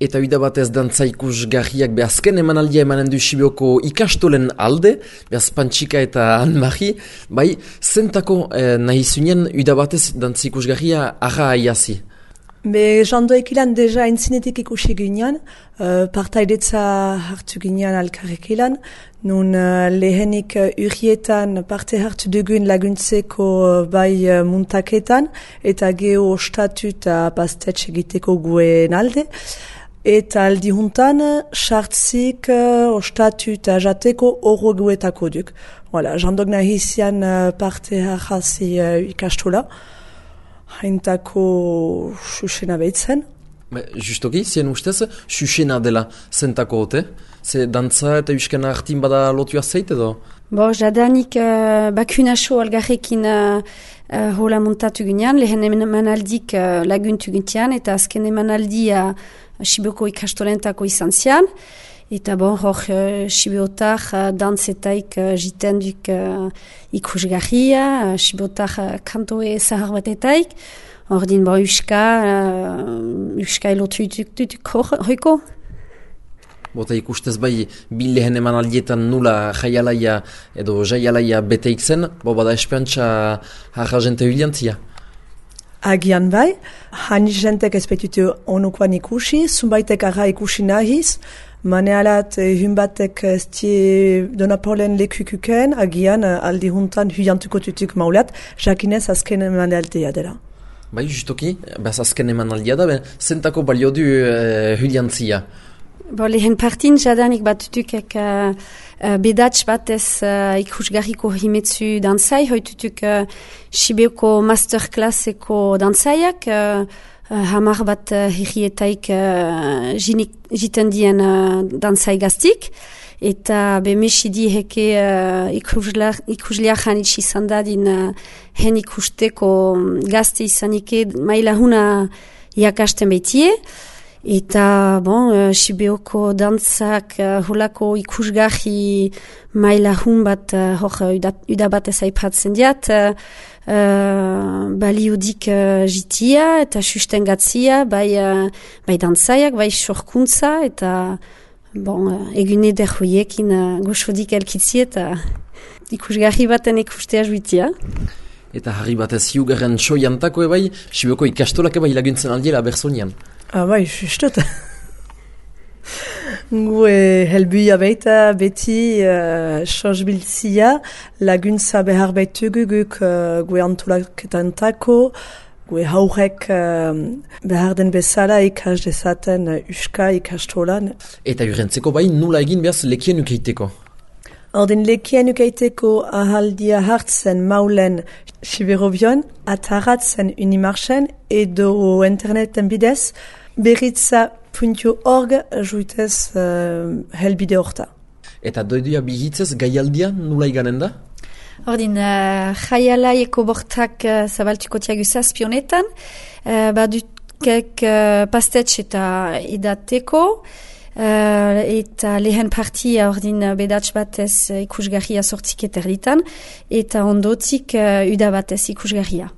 Eta uda batez dantza ikusgarriak azken emanaldia emanen du Sibioko ikastolen alde, behaz Pantxika eta Anne-Marie, bai, zentako nahi zunien uda batez dantza ikusgarria arra aiazi? Be, jandoek ilan deja entzinetik ikusi ginean, partaidetza hartu ginean alkarrik ilan, nun lehenik urrietan parte hartu dugun laguntzeko bai muntaketan, eta geho ostatu eta pastetx egiteko guen alde. Eta aldi juntan, sartzik, ostatu eta jateko horro guetako duk. Voilà, jandok nahizian parte harrazi ikastola. Haintako susena behitzen. Justoki, zien ustez, susena dela zentako hote? Ze dantza eta euskena hartin bada lotua zeit edo? Bo, jadanik bakunaso algarrekin hola montatu ginean, lehen emanaldik laguntu gintian, eta azken emanaldia Sibioko ikastolentako izan zian. Eta bon, hor Sibiotar dantzetaik jiten duk ikusgarria, Sibiotar kantoe zahar batetaik. Hor din, bon, Euska elotu dutuk hoiko. Bota ikustez bai, bil lehen eman aldietan nula jaialaia edo jaialaia beteik zen, bo bada esperantza harra jente huiliantzia. Agian bai, hani jentek ezpetutu onukoan ikusi, zumbaitek arra ikusi nahiz, manealat hunbatek estie donapolen lekukuken, agian aldi juntan huiantuko tutuk maulat, jakinez azken eman altea dela. Bai, justoki, bez azken eman aldea da, zentako balio du huiliantzia. Bo, lehen partin jadanik batutukek bedats batez ikusgarriko himetzu dantzai, hoitutuk Sibioko masterclasseko dantzaiak, hamar bat herrietaik jiten dien dantzai gaztik, eta bemesidi heke ikusliak hanitsi zandadin hen ikusteko gazte izanike maila huna jakasten behitie. Eta, bon, Sibioko dantzak holako ikusgarri maila hun bat hor uda bat ezaipatzen diat, baliodik jitia eta sustengatzia, bai dantzaiak, bai sorkuntza, eta, bon, egune derhoiekin goxodik elkitzi eta ikusgarri baten ikustea juitia. Eta harri batez hiugarren soiantako ebai, Sibioko ikastolak ebai laguntzen aldiela berzonian. Bai, justot. Gue helbuia baita beti sosbiltzia laguntza behar baitugu guk gue antolaketantako, gue haurek behar den bezala ikas dezaten uska ikastolan. Eta jurentzeko bai nula egin behaz lekien ukeiteko? Ordin lekien ukeiteko ahaldia hartzen maulen Siberobion, ataratzen Unimarchen edo interneten bidez, beritza.org juitez helbide horta. Eta doiduia bihitzez gaialdia nula iganen da? Ordin, jaialaieko bortak zabaltuko tiagu zazpionetan, badukek pastetx eta edateko, eta lehen partia ordin bedats batez ikusgarria sortzik eterditan, eta ondotik uda batez ikusgarria.